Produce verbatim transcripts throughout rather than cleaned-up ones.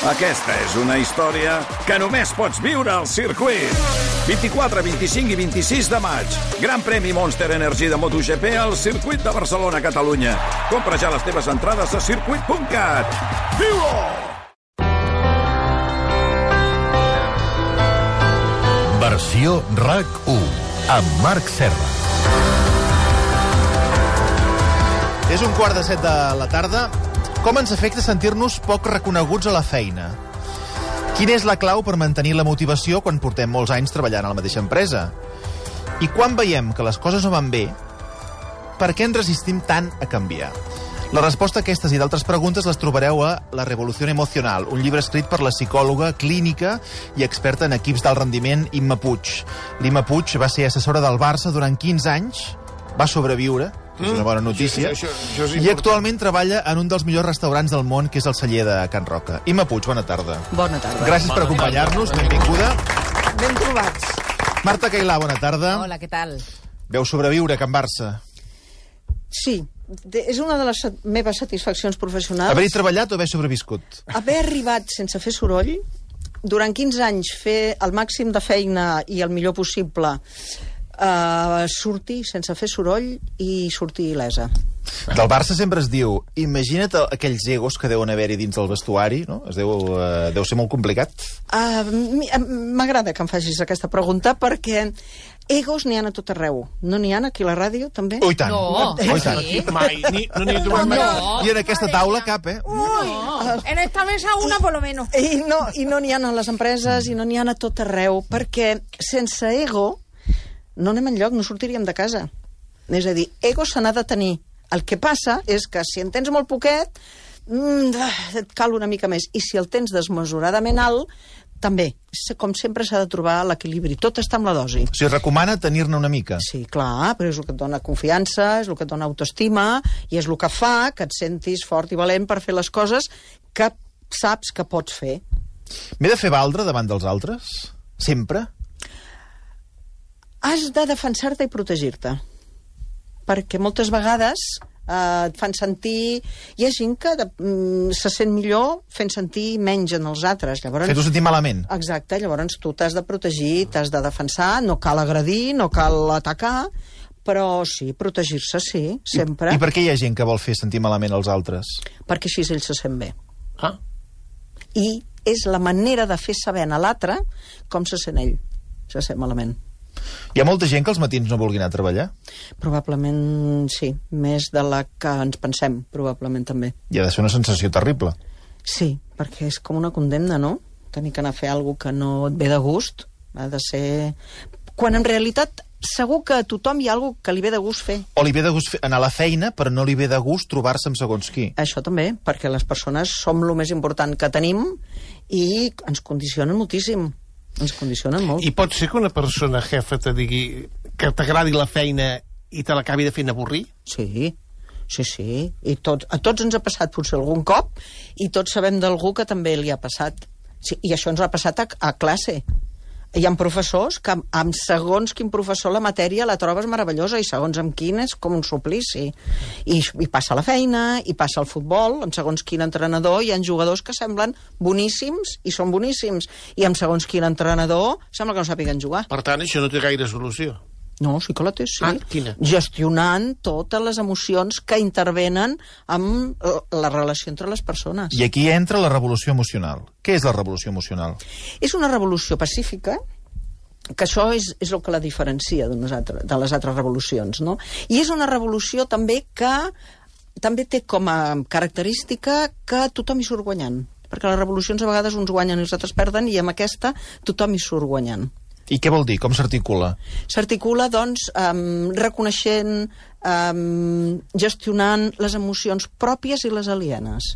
Aquesta és una història que només pots viure al circuit. vint-i-quatre, vint-i-cinc i vint-i-sis de maig. Gran premi Monster Energy de MotoGP al circuit de Barcelona, Catalunya. Compra ja les teves entrades a circuit punt cat. Viu-ho! Versió RAC u, amb Marc Serra. És un quart de set de la tarda. Com ens afecta sentir-nos poc reconeguts a la feina? Quina és la clau per mantenir la motivació quan portem molts anys treballant a la mateixa empresa? I quan veiem que les coses no van bé, per què ens resistim tant a canviar? La resposta a aquestes i d'altres preguntes les trobareu a La revolució emocional, un llibre escrit per la psicòloga clínica i experta en equips d'alt rendiment Imma Puig. L'Imma Puig va ser assessora del Barça durant quinze anys, va sobreviure, és una bona notícia, Això, això, això i actualment treballa en un dels millors restaurants del món, que és el Celler de Can Roca. Imma Puig, bona tarda. Bona tarda. Gràcies per acompanyar-nos, benvinguda. Ben trobats. Marta Cailà, bona tarda. Hola, què tal? Veu sobreviure a Can Barça. Sí, de, és una de les sat meves satisfaccions professionals. Haver-hi treballat o haver sobreviscut? Haver arribat sense fer soroll, durant quinze anys fer el màxim de feina i el millor possible, uh, sortir sense fer soroll i sortir il·lesa. Del Barça sempre es diu, imagina't aquells egos que deuen haver-hi dins del vestuari, no? Es deu, uh, deu ser molt complicat. Uh, M'agrada que em facis aquesta pregunta perquè egos n'hi ha a tot arreu. No n'hi ha aquí a la ràdio, també? Oh, i tant. No, oh, i tant. sí. Mai, ni, no n'hi trobem mai. No. I en aquesta taula cap, eh? No. En esta mesa una, por lo menos. I no i no n'hi ha a les empreses i no n'hi ha a tot arreu, perquè sense ego no anem enlloc, no sortiríem de casa. És a dir, ego se n'ha de tenir. El que passa és que si en tens molt poquet, mm, et cal una mica més. I si el tens desmesuradament alt, també. Com sempre s'ha de trobar l'equilibri. Tot està amb la dosi. O sigui, recomana tenir-ne una mica. Sí, clar, però és el que et dona confiança, és el que et dona autoestima, i és el que fa que et sentis fort i valent per fer les coses que saps que pots fer. M'he de fer valdre davant dels altres? Sempre? Has de defensar-te i protegir-te. Perquè moltes vegades eh, et fan sentir... Hi ha gent que mm, se sent millor fent sentir menys en els altres. Llavors, Fer-ho sentir malament. exacte, llavors tu t'has de protegir, t'has de defensar, no cal agredir, no cal atacar, però sí, protegir-se, sí, sempre. I, I per què hi ha gent que vol fer sentir malament els altres? Perquè així ell se sent bé. Ah. I és la manera de fer saber a l'altre com se sent ell. Se sent malament. Hi ha molta gent que els matins no vulgui anar a treballar? Probablement sí, més de la que ens pensem, probablement també. I ha de ser una sensació terrible. Sí, perquè és com una condemna, no? Tenir que anar a fer alguna que no et ve de gust. Ha de ser... Quan en realitat segur que a tothom hi ha alguna que li ve de gust fer. O li ve de gust fer- anar a la feina, però no li ve de gust trobar-se amb segons qui. Això també, perquè les persones som el més important que tenim i ens condicionen moltíssim. Ens condicionen molt. I pot ser que una persona jefa te digui que t'agradi la feina i te l'acabi de fer avorrir? Sí, sí, sí. I tot, a tots ens ha passat potser algun cop i tots sabem d'algú que també li ha passat. Sí, i això ens ha passat a, a classe. Hi ha professors que amb, amb segons quin professor la matèria la trobes meravellosa i segons amb quin és com un suplici. I, i passa la feina, i passa el futbol, amb segons quin entrenador hi ha jugadors que semblen boníssims i són boníssims, i amb segons quin entrenador sembla que no sàpiguen jugar. Per tant, això no té gaire solució. No, sí que la té, sí. Ah, quina? Gestionant totes les emocions que intervenen amb eh, la relació entre les persones. I aquí entra la revolució emocional. Què és la revolució emocional? És una revolució pacífica, que això és, és el que la diferencia de, nosaltres, de les altres revolucions, no? I és una revolució també que també té com a característica que tothom hi surt guanyant. Perquè les revolucions a vegades uns guanyen i els altres perden, i amb aquesta tothom hi surt guanyant. I què vol dir? Com s'articula? S'articula, doncs, um, reconeixent, um, gestionant les emocions pròpies i les alienes.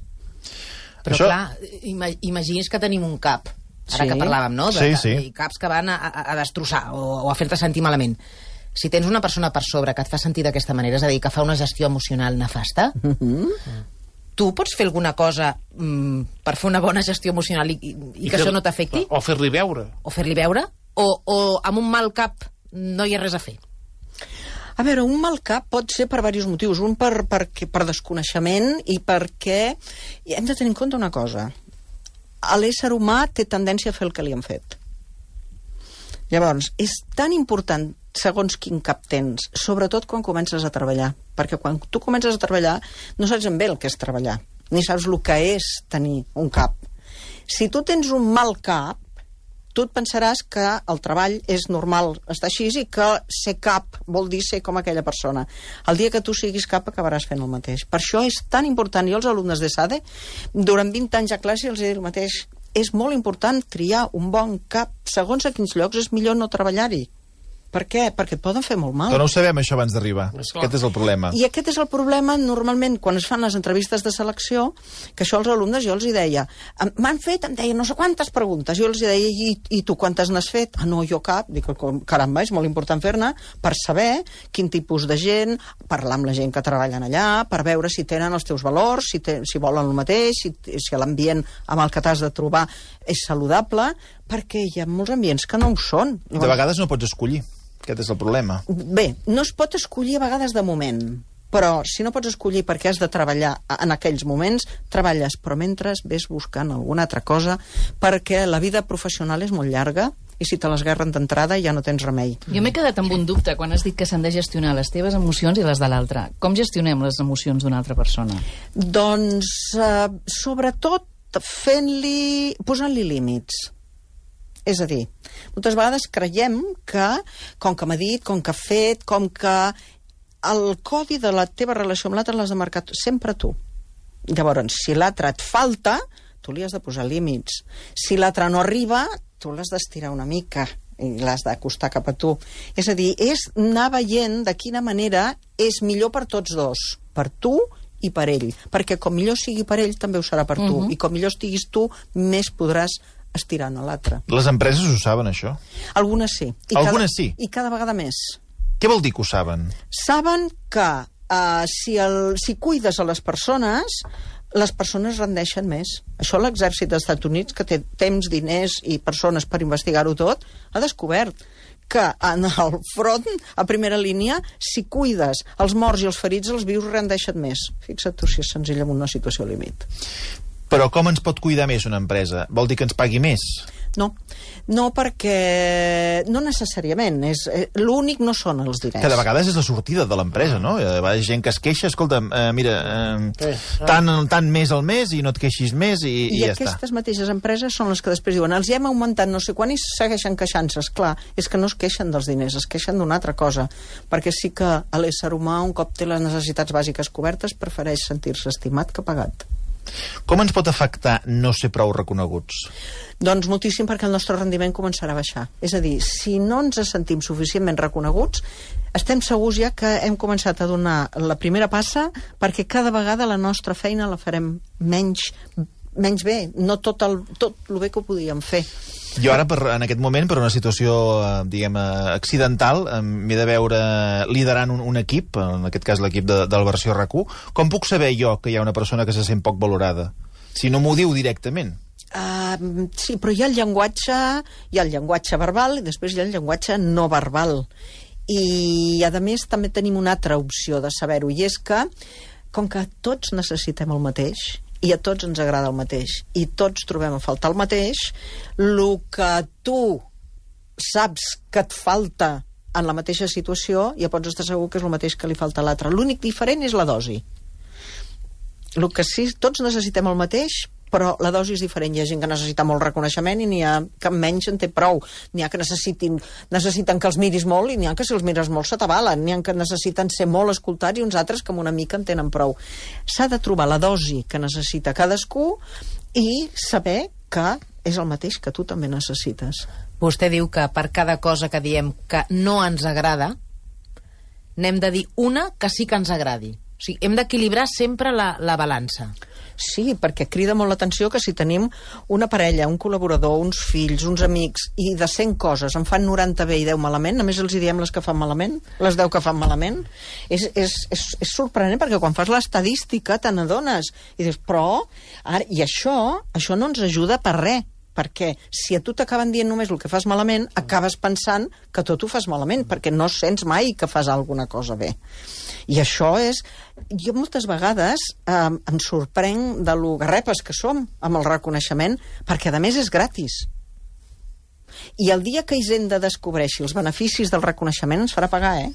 Però Això- clar, ima imagini's que tenim un cap, ara Sí. que parlàvem, no? De, Sí, de, sí. de caps que van a, a, a destrossar o, o a fer-te sentir malament. Si tens una persona per sobre que et fa sentir d'aquesta manera, és a dir, que fa una gestió emocional nefasta, Mm-hmm. tu pots fer alguna cosa mm, per fer una bona gestió emocional i, i, i que fer- això no t'afecti? O fer-li veure. O fer-li veure? O, o amb un mal cap no hi ha res a fer? A veure, un mal cap pot ser per diversos motius. Un per, per, per desconeixement i perquè hem de tenir en compte una cosa. l'ésser humà té tendència a fer el que li han fet. Llavors, és tan important segons quin cap tens, sobretot quan comences a treballar, perquè quan tu comences a treballar no saps ben bé el que és treballar, ni saps el que és tenir un cap. Si tu tens un mal cap, tu et pensaràs que el treball és normal estar així i que ser cap vol dir ser com aquella persona. El dia que tu siguis cap acabaràs fent el mateix. Per això és tan important. Jo als alumnes de SADE, durant vint anys a classe, els he dit el mateix. És molt important triar un bon cap. Segons a quins llocs és millor no treballar-hi. Per què? Perquè et poden fer molt mal. Però no ho sabem, això, abans d'arribar. Aquest és el problema. I aquest és el problema, normalment, quan es fan les entrevistes de selecció, que això als alumnes jo els hi deia, m'han fet, em deia no sé quantes preguntes, jo els hi deia, i, i tu quantes n'has fet? Ah, no, jo cap. Dic, caramba, és molt important fer-ne per saber quin tipus de gent, parlar amb la gent que treballen allà, per veure si tenen els teus valors, si, te, si volen el mateix, si, si l'ambient amb el que t'has de trobar és saludable, perquè hi ha molts ambients que no ho són. De vegades no pots escollir. Aquest és el problema. Bé, no es pot escollir a vegades de moment, però si no pots escollir perquè has de treballar en aquells moments, treballes, però mentre ves buscant alguna altra cosa, perquè la vida professional és molt llarga i si te l'esguerren d'entrada ja no tens remei. Jo m'he quedat amb un dubte quan has dit que s'han de gestionar les teves emocions i les de l'altre. Com gestionem les emocions d'una altra persona? Doncs, eh, sobretot, fent-li... posant-li límits. És a dir, moltes vegades creiem que, com que m'ha dit, com que ha fet, com que el codi de la teva relació amb l'altre l'has de marcar sempre tu. Llavors, si l'altre et falta, tu li has de posar límits. Si l'altre no arriba, tu l'has d'estirar una mica i l'has d'acostar cap a tu. És a dir, és anar veient de quina manera és millor per tots dos, per tu i per ell. Perquè com millor sigui per ell, també ho serà per tu. Uh-huh. I com millor estiguis tu, més podràs estirant a l'altre. Les empreses ho saben, això? Algunes sí. I Algunes cada, sí? I cada vegada més. Què vol dir que ho saben? Saben que uh, si, el, si cuides a les persones, les persones rendeixen més. Això l'exèrcit dels Estats Units, que té temps, diners i persones per investigar-ho tot, ha descobert que en el front, a primera línia, si cuides els morts i els ferits, els vius rendeixen més. Fixa't tu si és senzill en una situació límit. Però com ens pot cuidar més una empresa? Vol dir que ens pagui més? No, no perquè... No necessàriament. És, eh, l'únic no són els diners. Que de vegades és la sortida de l'empresa, no? Hi ha gent que es queixa, escolta'm, eh, mira, eh, tant, tant més al mes i no et queixis més i, i, I ja està. I aquestes mateixes empreses són les que després diuen els hem augmentat no sé quan i segueixen queixant-se. Esclar, és que no es queixen dels diners, es queixen d'una altra cosa. Perquè sí que l'ésser humà, un cop té les necessitats bàsiques cobertes, prefereix sentir-se estimat que pagat. Com ens pot afectar no ser prou reconeguts? Doncs moltíssim, perquè el nostre rendiment començarà a baixar. És a dir, si no ens sentim suficientment reconeguts, estem segurs ja que hem començat a donar la primera passa perquè cada vegada la nostra feina la farem menys, menys bé, no tot el, tot el bé que ho podíem fer. Jo ara, per, en aquest moment, per una situació, eh, diguem, eh, accidental, eh, m'he de veure liderant un, un equip, en aquest cas l'equip de, del versió R A C u. Com puc saber jo que hi ha una persona que se sent poc valorada? Si no m'ho diu directament. Uh, sí, però hi ha el llenguatge, hi ha el llenguatge verbal i després hi ha el llenguatge no verbal. I, a més, també tenim una altra opció de saber-ho, i és que, com que tots necessitem el mateix, i a tots ens agrada el mateix, i tots trobem a faltar el mateix, el que tu saps que et falta en la mateixa situació, ja pots estar segur que és el mateix que li falta a l'altre. L'únic diferent és la dosi. El que sí, tots necessitem el mateix, però la dosi és diferent. Hi ha gent que necessita molt reconeixement i n'hi ha que menys en té prou. N'hi ha que necessitin, necessiten que els miris molt i n'hi ha que si els mires molt se t'avalen. N'hi ha que necessiten ser molt escoltats i uns altres que amb una mica en tenen prou. S'ha de trobar la dosi que necessita cadascú i saber que és el mateix que tu també necessites. Vostè diu que per cada cosa que diem que no ens agrada, n'hem de dir una que sí que ens agradi. O sigui, hem d'equilibrar sempre la, la balança. Sí, perquè crida molt l'atenció que si tenim una parella, un col·laborador, uns fills, uns amics, i de cent coses en fan noranta bé i deu malament, només els hi diem les que fan malament, les deu que fan malament, és, és, és, és sorprenent, perquè quan fas l'estadística te n'adones, i dius, però, ara, i això, això no ens ajuda per res, perquè si a tu t'acaben dient només el que fas malament, acabes pensant que tot ho fas malament, perquè no sents mai que fas alguna cosa bé. I això és... Jo moltes vegades eh, em sorprenc de lo garrepes que som amb el reconeixement, perquè a més és gratis. I el dia que Hisenda descobreixi els beneficis del reconeixement ens farà pagar, eh?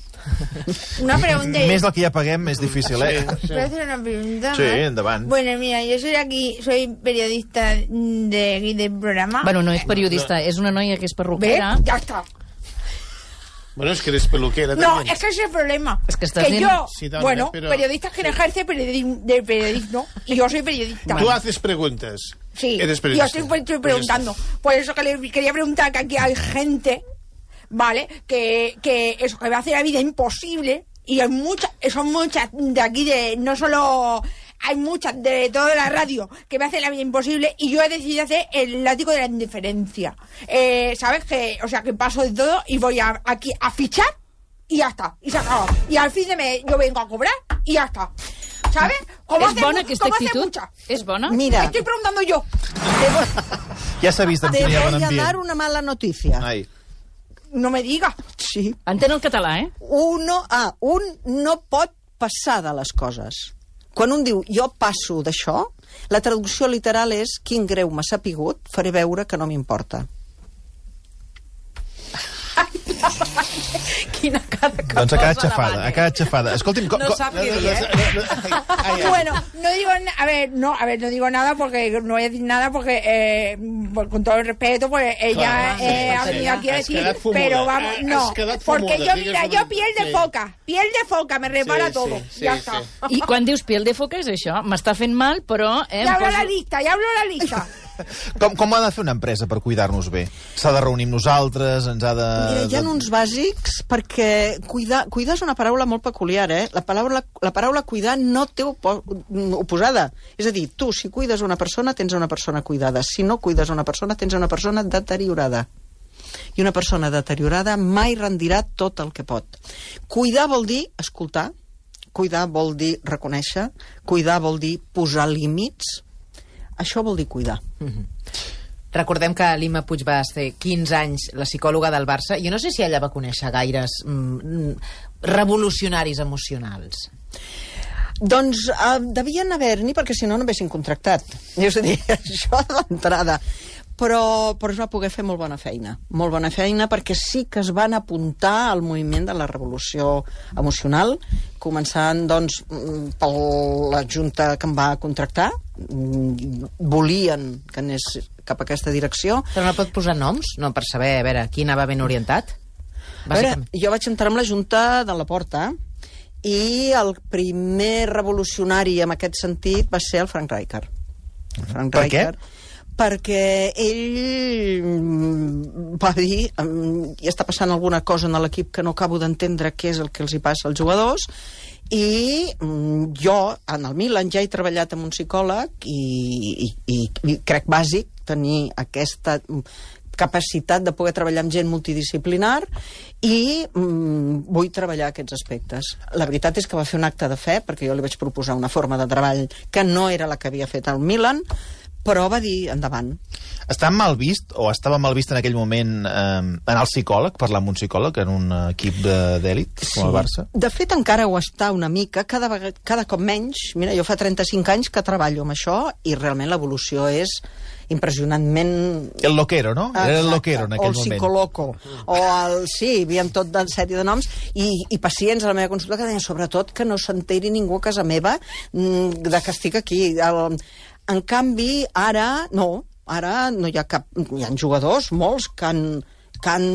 Una pregunta. Més del que ja paguem, més difícil, eh? ¿Puedo hacer una pregunta? Sí, endavant. Bueno, mira, yo soy aquí, soy periodista de aquí del programa. Bueno, no és periodista, és una noia que és ¿Ves? perruquera. Ya está. Bueno, es que eres peluquera No, también. es que ese es el problema. Es que estás que bien- yo, Sí, dale, bueno, pero- periodistas que ejerce periodismo, de periodismo y yo soy periodista. Tú haces preguntas. Sí, Eres yo periodista. estoy, estoy Pues preguntando. Por eso que le quería preguntar que aquí hay gente, ¿vale? Que, que eso, que va a hacer la vida imposible. Y hay muchas, son muchas de aquí, de no solo... Hay muchas de toda la radio que me hacen la vida imposible y yo he decidido hacer el látigo de la indiferencia. Eh, ¿Sabes? Que, o sea, que paso de todo y voy a, aquí a fichar y ya está. Y se acaba. Y al fin de mes yo vengo a cobrar y ya está. ¿Sabes? Como És hace bona mu- aquesta como hace actitud? muchas. És bona? Mira, Estoy preguntando yo. Ja s'ha vist amb te quin hi ha bon voy a dar ambient. una mala noticia. Ai. No me digas. Sí. Entén el català, eh? Uno, ah, un no pot passar de les coses. Quan un diu jo passo d'això, la traducció literal és quin greu m'ha sapigut, faré veure que no m'importa. Quina cara que Doncs ha quedat posa xafada, davant, ha quedat xafada. Escolti'm... co- No co- sap què dir, eh? Bueno, no digo, na- a ver, no, a ver, no digo nada porque no voy a decir nada porque, eh, pues, con todo el respeto, pues ella Claro, eh, sí, ha sí. venido aquí a Has decir, quedat fumuda, pero vamos, has no, quedat porque fumuda, yo, digues mira, un- yo piel de sí. foca, piel de foca, me repara Sí, todo, sí, ya sí, está. sí. I quan dius piel de foca és això, m'està fent mal, però... Eh, Ya em hablo poso- la lista, ya hablo la lista. Com, com ha de fer una empresa per cuidar-nos bé? S'ha de reunir amb nosaltres, ens ha de... Mira, hi ha de- uns bàsics perquè cuidar, cuidar és una paraula molt peculiar, eh? La paraula, la paraula cuidar no té opo oposada. És a dir, tu, si cuides una persona, tens una persona cuidada. Si no cuides una persona, tens una persona deteriorada. I una persona deteriorada mai rendirà tot el que pot. Cuidar vol dir escoltar, cuidar vol dir reconèixer, cuidar vol dir posar límits. Això vol dir cuidar. Recordem que l'Imma Puig va ser quinze anys la psicòloga del Barça. Jo no sé si ella va conèixer gaires mm, revolucionaris emocionals. Doncs uh, devien haver-n'hi, perquè si no, no haguessin contractat. És a dir, això d'entrada. Però, però es va poder fer molt bona feina. Molt bona feina perquè sí que es van apuntar al moviment de la revolució emocional, començant, doncs, mm, per la junta que em va contractar. Mm, volien que anés cap a aquesta direcció. Però no pot posar noms? No, per saber, a veure, qui anava ben orientat? A veure, jo vaig entrar amb la junta de la Porta i el primer revolucionari en aquest sentit va ser el Frank Rijkaard. El Frank Per què? Rijkaard, perquè ell mm, va dir mm, hi està passant alguna cosa en l'equip que no acabo d'entendre què és el que els hi passa als jugadors i mm, jo en el Milan ja he treballat amb un psicòleg i, i, i, i crec bàsic tenir aquesta capacitat de poder treballar amb gent multidisciplinar i mm, vull treballar aquests aspectes. La veritat és que va fer un acte de fe perquè jo li vaig proposar una forma de treball que no era la que havia fet al Milan, però va dir endavant. Està mal vist, o estava mal vist en aquell moment, eh, anar al psicòleg, parlar amb un psicòleg en un equip de- d'èlit, com el Barça? De fet, encara ho està una mica, cada, vegada, cada cop menys. Mira, jo fa trenta-cinc anys que treballo amb això i realment l'evolució és impressionantment... El loquero, no? Era el Exacte. loquero en o aquell el moment. psicoloco, o el... Sí, hi havia tot de sèrie de noms, i, i pacients a la meva consulta que deien, sobretot, que no s'enteri ningú a casa meva mm, de que estic aquí. El, en canvi, ara, no, ara no hi ha cap... Hi ha jugadors, molts, que han, que han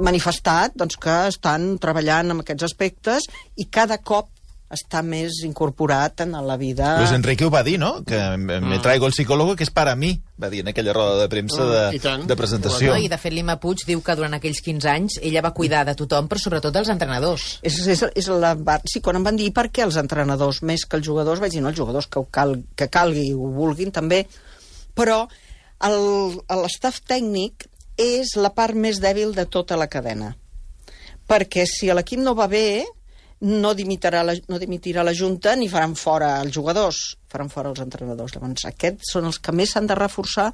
manifestat doncs, que estan treballant en aquests aspectes i cada cop està més incorporat en la vida... Luis Enrique ho va dir, no? Que me traigo el psicólogo que és para mí, va dir en aquella roda de premsa de, I tant. de presentació. No, I de fet l'Imma Puig diu que durant aquells quinze anys ella va cuidar de tothom, però sobretot dels entrenadors. És, és, és la, sí, quan em van dir per què els entrenadors més que els jugadors, vaig dir, no, els jugadors que, ho cal, que calgui ho vulguin també, però l'estaf tècnic és la part més dèbil de tota la cadena. Perquè si l'equip no va bé, no dimitirà la, no dimitirà la Junta ni faran fora els jugadors, faran fora els entrenadors. Llavors, aquests són els que més s'han de reforçar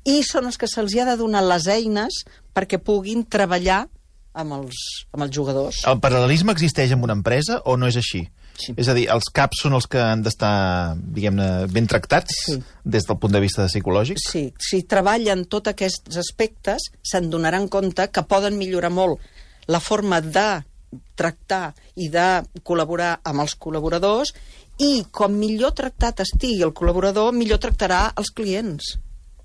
i són els que se'ls ha de donar les eines perquè puguin treballar amb els, amb els jugadors. El paral·lelisme existeix en una empresa o no és així? Sí. És a dir, els caps són els que han d'estar, diguem-ne, ben tractats Sí. des del punt de vista psicològic? Sí, si treballen tots aquests aspectes, se'n donaran compte que poden millorar molt la forma de tractar i de col·laborar amb els col·laboradors i com millor tractat estigui el col·laborador, millor tractarà els clients.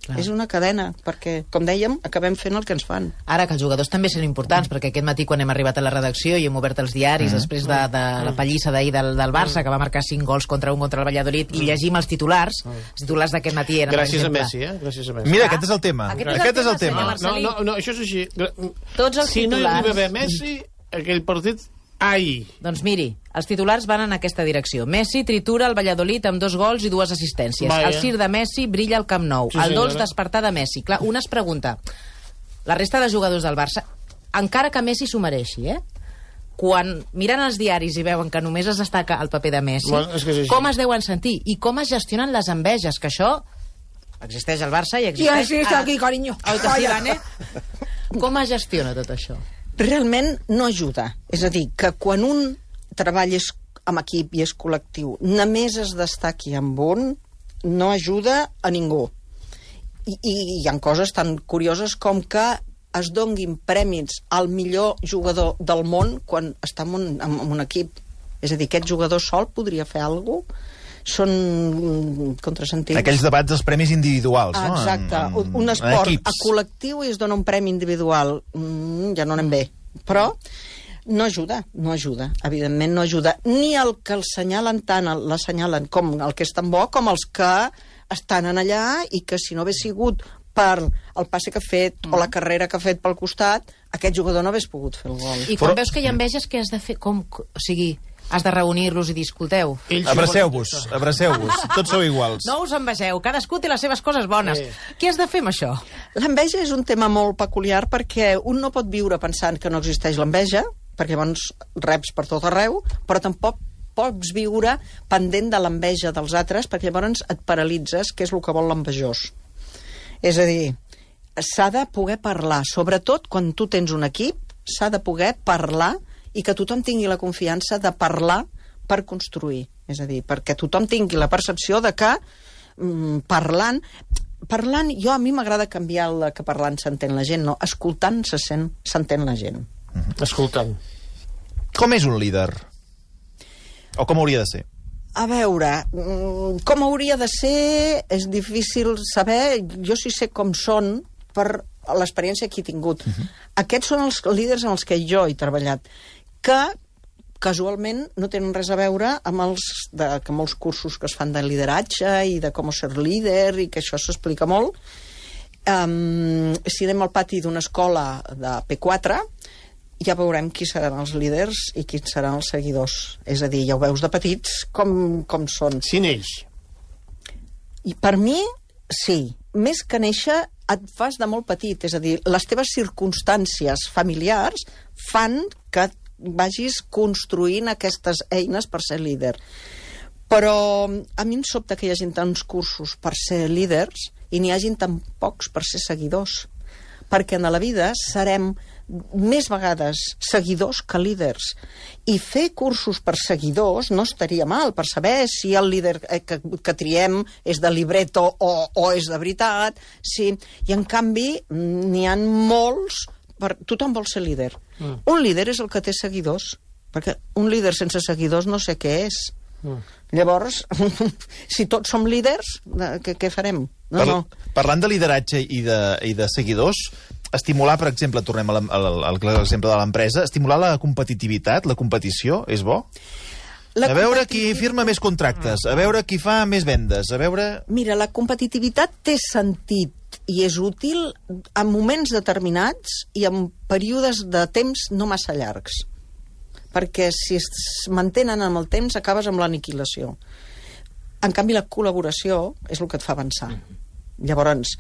Clar. És una cadena, perquè, com dèiem, acabem fent el que ens fan. Ara, que els jugadors també són importants, perquè aquest matí quan hem arribat a la redacció i hem obert els diaris, mm. després de, de la pallissa d'ahir del, del Barça, que va marcar cinc gols contra un contra el Valladolid, i llegim els titulars, els titulars d'aquest matí eren, Gràcies per a exemple... Messi, eh? Gràcies a Messi. Mira, aquest és el tema. Aquest és el Aquest és el tema, tema. senyor No, no, no, això és així. Tots els si no hi titulars- havia haver Messi, aquell partit... Ai! Doncs miri, els titulars van en aquesta direcció. Messi tritura el Valladolid amb dos gols i dues assistències. Vaja. El Cir de Messi brilla al Camp Nou. Sí, el dolç senyora. despertar de Messi. Clar, un es pregunta, la resta de jugadors del Barça, encara que Messi s'ho mereixi, eh? Quan miren els diaris i veuen que només es destaca el paper de Messi, Bueno, és que és així. com es deuen sentir i com es gestionen les enveges, que això existeix al Barça i Y existeix... así está aquí, cariño. Oi que sí, Vane? Com es gestiona tot això? Realment no ajuda. És a dir, que quan un treball és amb equip i és col·lectiu, només es destaqui amb un, no ajuda a ningú. I, i hi ha coses tan curioses com que es donguin prèmits al millor jugador del món quan està en un, en un equip. És a dir, aquest jugador sol podria fer alguna cosa? Són contrasentits. Aquells debats dels premis individuals, no? Exacte. En, en, un esport en a col·lectiu i es dona un premi individual. Mm, ja no anem bé. Però no ajuda, no ajuda. Evidentment no ajuda. Ni el que el senyalen tant, l'assenyalen com el que és tan bo, com els que estan en allà i que si no hagués sigut per el passe que ha fet mm. o la carrera que ha fet pel costat, aquest jugador no hagués pogut fer el gol. I quan veus que hi ha enveges, què has de fer? Com, o sigui, has de reunir-los i dir, escolteu, Abraceu-vos, abraceu-vos. Tots sou iguals. no us envegeu, cadascú té les seves coses bones. Sí. Què has de fer amb això? L'enveja és un tema molt peculiar perquè un no pot viure pensant que no existeix l'enveja, perquè llavors reps per tot arreu, però tampoc pots viure pendent de l'enveja dels altres, perquè llavors et paralitzes, que és el que vol l'envejós. És a dir, s'ha de poder parlar, sobretot quan tu tens un equip, s'ha de poder parlar i que tothom tingui la confiança de parlar per construir. És a dir, perquè tothom tingui la percepció de que mm, parlant... Parlant, jo a mi m'agrada canviar el que parlant s'entén la gent, no, escoltant se sent, s'entén la gent. Escoltant. Com és un líder? O com hauria de ser? A veure, mm, com hauria de ser és difícil saber. Jo sí sé com són per l'experiència que he tingut. Uh-huh. Aquests són els líders en els que jo he treballat, que casualment no tenen res a veure amb els, de, que molts cursos que es fan de lideratge i de com ser líder, i que això s'explica molt. Um, si anem al pati d'una escola de P quatre, ja veurem qui seran els líders i qui seran els seguidors. És a dir, ja ho veus de petits com, com són. Si neix. I per mi, sí. Més que néixer, et fas de molt petit. És a dir, les teves circumstàncies familiars fan que vagis construint aquestes eines per ser líder. Però a mi em sobta que hi hagi tants cursos per ser líders i n'hi hagin tan pocs per ser seguidors. Perquè en la vida serem més vegades seguidors que líders. I fer cursos per seguidors no estaria mal, per saber si el líder que, que triem és de libreto o, o és de veritat. Sí. I en canvi n'hi ha molts... Per... Tothom vol ser líder. Mm. Un líder és el que té seguidors, perquè un líder sense seguidors no sé què és. Mm. Llavors, si tots som líders, què, què farem? No, Par no. Parlant de lideratge i de, i de seguidors, estimular, per exemple, tornem a l'exemple de l'empresa, estimular la competitivitat, la competició, és bo? La a veure qui competitivitat- firma més contractes, a veure qui fa més vendes, a veure... Mira, la competitivitat té sentit i és útil en moments determinats i en períodes de temps no massa llargs. Perquè si es mantenen amb el temps acabes amb l'aniquilació. En canvi, la col·laboració és el que et fa avançar. Llavors,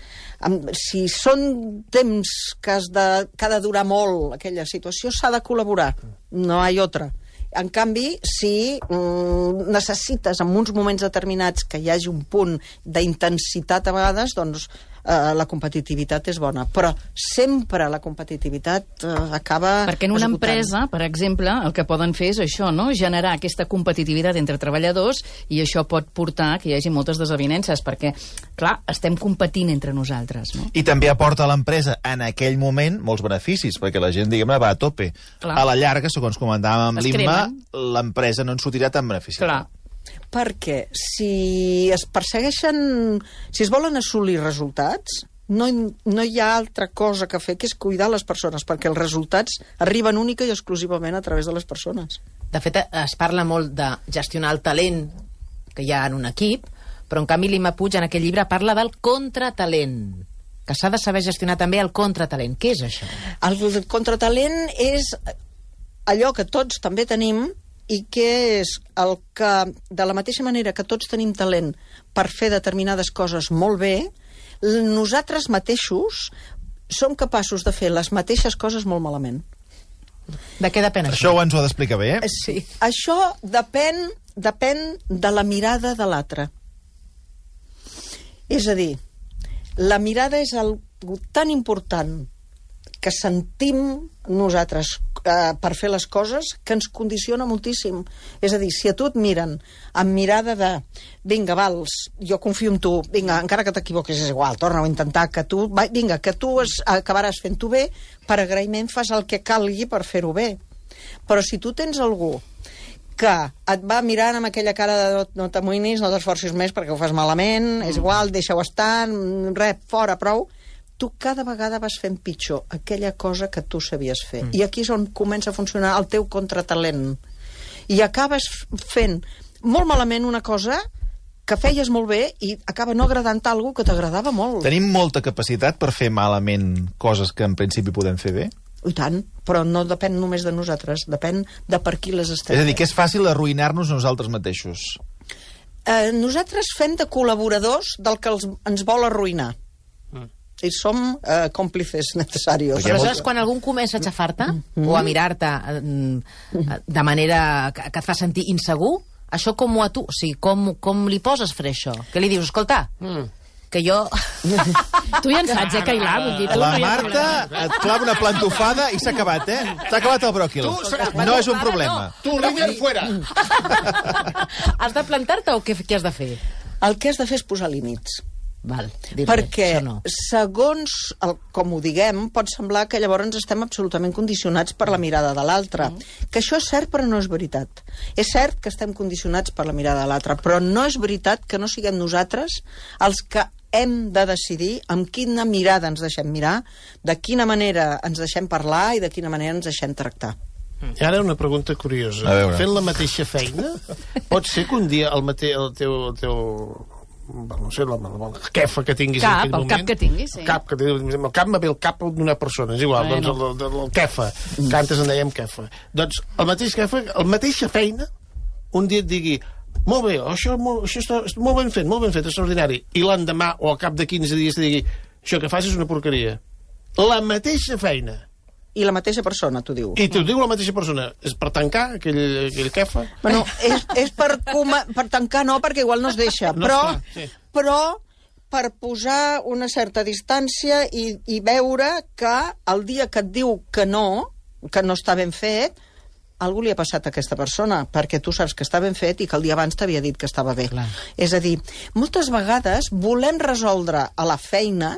amb, si són temps que, has de, que ha de durar molt aquella situació, s'ha de col·laborar. No hi ha altra. En canvi, si mm, necessites en uns moments determinats que hi hagi un punt d'intensitat a vegades, doncs eh, la competitivitat és bona. Però sempre la competitivitat eh, acaba Perquè en una esgotant. empresa, per exemple, el que poden fer és això, no? Generar aquesta competitivitat entre treballadors, i això pot portar que hi hagi moltes desavinences, perquè, clar, estem competint entre nosaltres, no? I també aporta a l'empresa en aquell moment molts beneficis, perquè la gent, diguem-ne, va a tope. Clar. A la llarga, segons comentàvem amb Es l'Imma, cremen. l'empresa no en sortirà tan beneficiada. Clar. Perquè si es persegueixen, si es volen assolir resultats, no, no hi ha altra cosa que fer que és cuidar les persones, perquè els resultats arriben única i exclusivament a través de les persones. De fet, es parla molt de gestionar el talent que hi ha en un equip, però en canvi l'Imma Puig en aquell llibre parla del contratalent, que s'ha de saber gestionar també el contratalent. Què és això? El contratalent és allò que tots també tenim i que és el que, de la mateixa manera que tots tenim talent per fer determinades coses molt bé, nosaltres mateixos som capaços de fer les mateixes coses molt malament. De què depèn això? Això ho ens ho ha d'explicar bé, eh? Sí. Això depèn, depèn de la mirada de l'altre. És a dir, la mirada és algo tan important que sentim nosaltres eh, per fer les coses que ens condiciona moltíssim. És a dir, si a tu et miren amb mirada de vinga, vals, jo confio en tu, vinga, encara que t'equivoquis és igual, torna-ho a intentar, que tu, va, vinga, que tu es, acabaràs fent-ho bé, per agraïment fas el que calgui per fer-ho bé. Però si tu tens algú que et va mirant amb aquella cara de no, no t'amoïnis, no t'esforcis més perquè ho fas malament, mm. és igual, deixa-ho estar, res, fora, prou, tu cada vegada vas fent pitjor aquella cosa que tu sabies fer. Mm. I aquí és on comença a funcionar el teu contratalent. I acabes fent molt malament una cosa que feies molt bé i acaba no agradant a algú que t'agradava molt. Tenim molta capacitat per fer malament coses que en principi podem fer bé? I tant, però no depèn només de nosaltres, depèn de per qui les estem. És a dir, que és fàcil arruïnar-nos nosaltres mateixos. Eh, nosaltres fem de col·laboradors del que els, ens vol arruïnar. Mm. I som eh, còmplices necessaris. Però aleshores, quan algú comença a xafar-te mm. o a mirar-te eh, de manera que, que et fa sentir insegur, això com ho a tu? O sigui, com, com li poses fre això? Què li dius? Escolta, mm. que jo... Tu ja en saps, eh, Cailà? Vull dir, tu La no hi ha Marta problema. et clava una plantofada i s'ha acabat, eh? S'ha acabat el bròquil. No és un problema. Tu, líder, fuera! Has de plantar-te o què, què has de fer? El que has de fer és posar límits. Val, dir-li, Perquè, això no. segons el, com ho diguem, pot semblar que llavors estem absolutament condicionats per la mirada de l'altre. Mm. Que això és cert, però no és veritat. És cert que estem condicionats per la mirada de l'altre, però no és veritat que no siguem nosaltres els que hem de decidir amb quina mirada ens deixem mirar, de quina manera ens deixem parlar i de quina manera ens deixem tractar. I ara una pregunta curiosa. A veure. Fent la mateixa feina, pot ser que un dia el, mate, el teu... El teu no sé, la, la, la quefa que tinguis Cap, en aquell el moment... cap que tinguis, sí. El cap, que, el cap me ve el cap d'una persona, és igual, Bueno. doncs el, el, el quefa, que antes en dèiem quefa. Doncs el mateix quefa, el mateixa feina, un dia et digui molt bé, això, molt, això està molt ben fet, molt ben fet, extraordinari, i l'endemà o al cap de quinze dies te digui això que fas és una porqueria. La mateixa feina. I la mateixa persona, t'ho diu. I t'ho diu la mateixa persona. És per tancar aquell, aquell quefa? Bueno, és, és per, coma, per tancar no, perquè igual no es deixa, No, però, clar, sí. però per posar una certa distància i, i veure que el dia que et diu que no, que no està ben fet, algú li ha passat a aquesta persona, perquè tu saps que està ben fet i que el dia abans t'havia dit que estava bé. Clar. És a dir, moltes vegades volem resoldre a la feina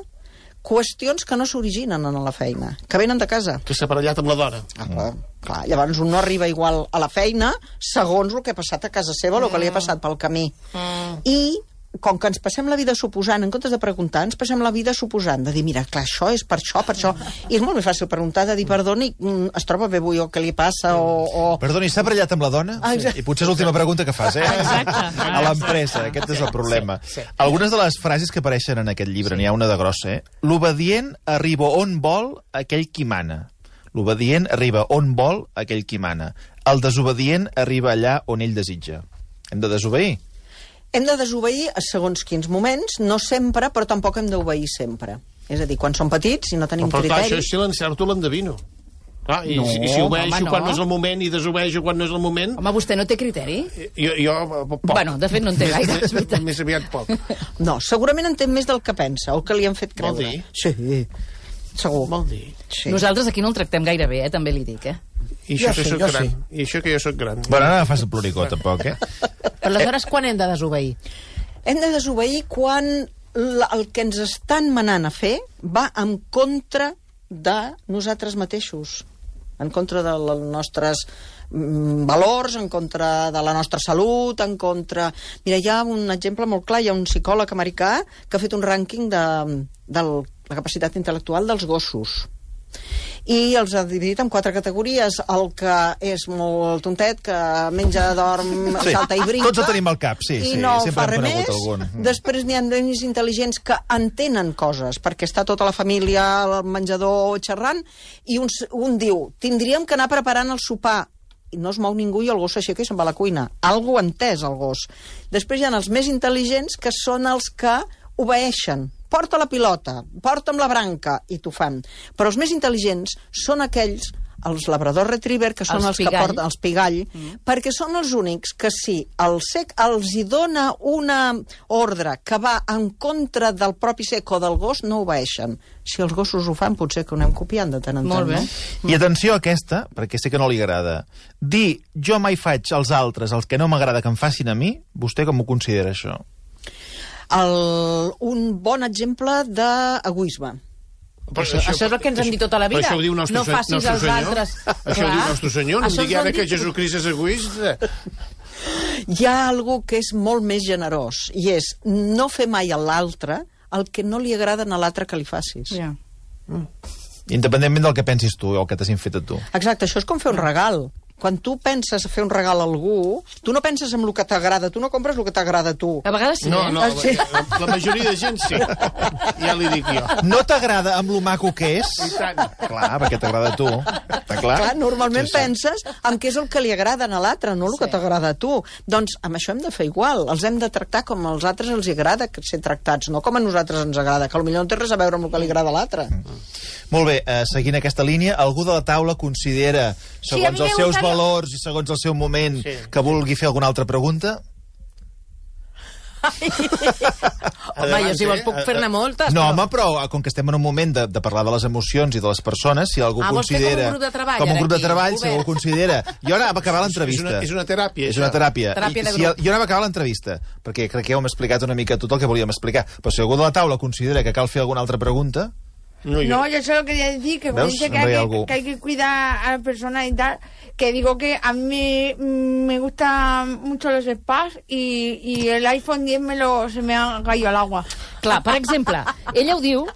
qüestions que no s'originen en la feina, que venen de casa. Que s'ha aparellat amb la dona. Ah, clar, clar, llavors un no arriba igual a la feina segons el que ha passat a casa seva o el que li ha passat pel camí. Mm. I com que ens passem la vida suposant, en comptes de preguntar, ens passem la vida suposant, de dir, mira, clar, això és per això, per això. I és molt més fàcil preguntar, de dir, perdoni, es troba bé avui o què li passa, o... o... Perdoni, s'ha barallat amb la dona? Ah, exacte. I potser és l'última pregunta que fas, eh? Exacte. A l'empresa, aquest és el problema. Algunes de les frases que apareixen en aquest llibre, n'hi ha una de grossa, eh? L'obedient arriba on vol aquell qui mana. L'obedient arriba on vol aquell qui mana. El desobedient arriba allà on ell desitja. Hem de desobeir? Hem de desobeir a segons quins moments, no sempre, però tampoc hem d'obeir sempre. És a dir, quan som petits i no tenim Però, però clar, criteri... això és silenciar-t'ho l'endevino. Ah, i, No, si, i si obeeixo home, no. quan no és el moment i desobeeixo quan no és el moment... Home, vostè no té criteri? Jo, jo poc. Bueno, de fet no en té gaire, és veritat. Més aviat poc. No, segurament en té més del que pensa, o que li han fet Vol creure. dir? Sí, segur. Vol dir? Sí. Nosaltres aquí no el tractem gaire bé, eh? També li dic, eh? I això Jo que sí, soc jo gran. sí. I això que jo sóc gran. Bueno, no fas el ploricó, tampoc, eh? Però aleshores quan hem de desobeir? Hem de desobeir quan la, el que ens estan manant a fer va en contra de nosaltres mateixos, en contra dels nostres mm, valors, en contra de la nostra salut, en contra... Mira, hi ha un exemple molt clar, hi ha un psicòleg americà que ha fet un rànquing de, de la capacitat intel·lectual dels gossos. I els ha dividit en quatre categories. El que és molt tontet, que menja, dorm, Sí, salta i brinca. tots ho tenim al cap, sí, I sí, no sempre fa hem res conegut més. algun. Mm. Després n'hi ha nens intel·ligents que entenen coses, perquè està tota la família al menjador xerrant, i un, un diu, tindríem que anar preparant el sopar, i no es mou ningú i el gos s'aixeca i se'n va a la cuina. Algú ha entès, el gos. Després hi ha els més intel·ligents, que són els que obeeixen. Porta la pilota, porta'm la branca, i t'ho fan. Però els més intel·ligents són aquells, els labrador retriever, que són Els els, que pigall. porten els pigall, mm. perquè són els únics que si el sec els hi dona una ordre que va en contra del propi sec o del gos, no obeeixen. Si els gossos ho fan, potser que ho anem copiant de tant en tant. Molt bé. No? I atenció a aquesta, perquè sé que no li agrada. Dir, jo mai faig als altres els que no m'agrada que em facin a mi, vostè com ho considera, això? El, un bon exemple d'egoisme. Però Això, això és el que ens han dit tota la vida. Però això ho diu nostre, no facis nostre als senyor. altres. Això ho diu nostre senyor. No em Això digui ens ho ara han que dit- Jesucrist és egoista. Hi ha algú que és molt més generós, i és no fer mai a l'altre el que no li agrada a l'altre que li facis. Ja. Independentment del que pensis tu o el que t'hagin fet a tu. Exacte, això és com fer un regal. Quan tu penses a fer un regal a algú, tu no penses en el que t'agrada, tu no compres el que t'agrada a tu. A vegades sí, No, eh? no, Ah, sí? la, la majoria de gent sí. Ja li dic jo. No t'agrada amb lo maco que és? I tant. Clar, perquè t'agrada a tu. Està clar? Clar, normalment Sí, sí. penses en què és el que li agrada a l'altre, no el que t'agrada a tu. Doncs amb això hem de fer igual. Els hem de tractar com als altres els agrada ser tractats, no com a nosaltres ens agrada, que potser no té res a veure amb el que li agrada a l'altre. Molt bé, eh, seguint aquesta línia, algú de la taula considera, Sí, a segons mi els me seus gustaría- valors i segons el seu moment, Sí. que vulgui fer alguna altra pregunta? Home, jo si vols puc fer-ne moltes. No, però- home, però eh, com que estem en un moment de, de parlar de les emocions i de les persones, si algú Ah, vols fer com un considera... grup de treball, Com un ara, grup de aquí, treball, si obert. algú considera... I ara va acabar És l'entrevista. una, és una teràpia, És una això. teràpia. Teràpia I, de si, grup. jo ara va acabar l'entrevista, perquè crec que ja ho hem explicat una mica tot el que volíem explicar. Però si algú de la taula considera que cal fer alguna altra pregunta... No, jo. No, yo solo quería decir que, ¿Ves? dice que, Hombre, hay algo. que, que hay que cuidar a la persona y tal, que digo que a mí me gustan mucho los spas y, y el iPhone diez me lo, se me ha caído al agua. Clar, per exemple, ella ho diu,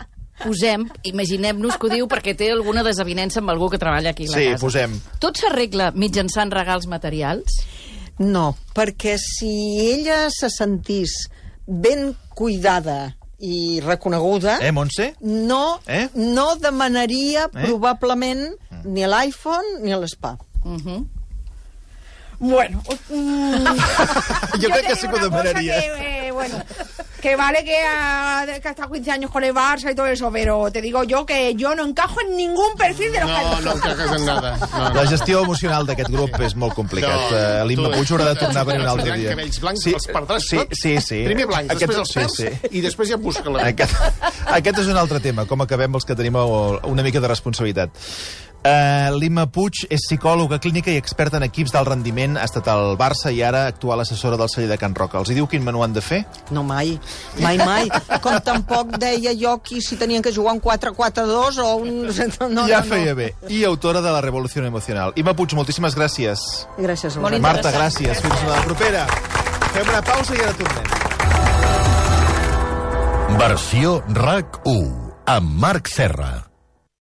posem, imaginem-nos que ho diu perquè té alguna desavinença amb algú que treballa aquí a la Sí, casa. posem. Tot s'arregla mitjançant regals materials? No, perquè si ella se sentís ben cuidada i reconeguda, Eh, Montse? no, Eh? no demanaria Eh? probablement ni l'iPhone ni l'spa. Uh -huh. Bueno, mm, Jo crec te que sí digo que ho una cosa demanaria. que, eh, bueno, que vale que ha, que ha estado quince años con el Barça y todo eso, pero te digo yo que yo no encajo en ningún perfil de los que No, hay. no encajes en nada. No, no. La gestió emocional d'aquest grup és molt complicat. No, No, L'Imma tu- Puig haurà de tornar a venir un altre Tindran dia. cabells blancs, els perdràs sí, tots. sí, sí. Primer blancs, Aquest- després els perds, sí, sí. i després ja busca la... Aquest, aquest és un altre tema, com acabem els que tenim una mica de responsabilitat. Uh, L'Imma Puig és psicòloga clínica i experta en equips d'alt rendiment, ha estat al Barça i ara actual assessora del celler de Can Roca. Els hi diu quin menú han de fer? No, mai. Mai, mai. Com tampoc deia jo qui si tenien que jugar un quatre quatre dos o un... No, ja no, feia no. bé. I autora de La Revolució Emocional. Imma Puig, moltíssimes gràcies. Gràcies a Molt vosaltres. Marta, interessant. gràcies. Fins la propera. Fem una pausa i ara tornem. Versió RAC u amb Marc Serra.